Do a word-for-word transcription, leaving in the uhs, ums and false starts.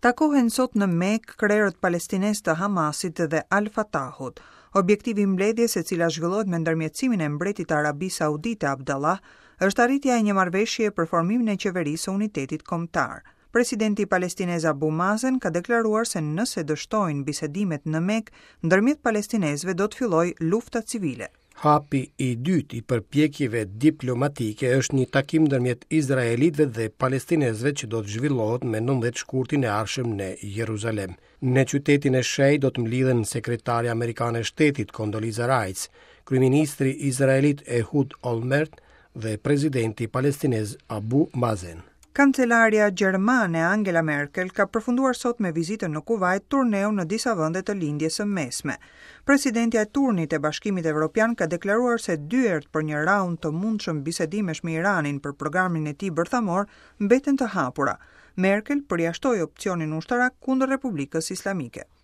Takohen sot në Mekë krerët palestinez të Hamasit dhe Al-Fatahut. Objektivi i mbledhjes, e cila zhvillohet me ndërmjetësimin e mbretit të Arabisë Saudite Abdallah, është arritja e një marrëveshjeje për formimin e qeverisë së unitetit kombëtar. Presidenti palestinez Abu Mazen ka deklaruar se nëse dështojnë bisedimet në Mekë, ndërmjet palestinezëve do të fillojë lufta civile. Hapi i dytë i përpjekjeve diplomatike është një takim ndërmjet izraelitëve dhe palestinezëve që do të zhvillohet me nëntëmbëdhjetë shkurtin e ardhshëm në Jeruzalem. Në qytetin e shenjtë do të mblidhen sekretarja amerikane e shtetit Condoleezza Rice, kryeministri izraelit Ehud Olmert dhe presidenti palestinez Abu Mazen. Kancelarja gjermane Angela Merkel ka përfunduar sot me vizitën në Kuwait turneun në disa vende të Lindjes së Mesme. Presidentja e turnit e Bashkimit Evropian ka deklaruar se dyert për një raund të mundshëm bisedimesh me Iranin për programin e tij bërthamor mbeten të hapura. Merkel përjashtoi opsionin ushtarak kundër Republikës Islamike.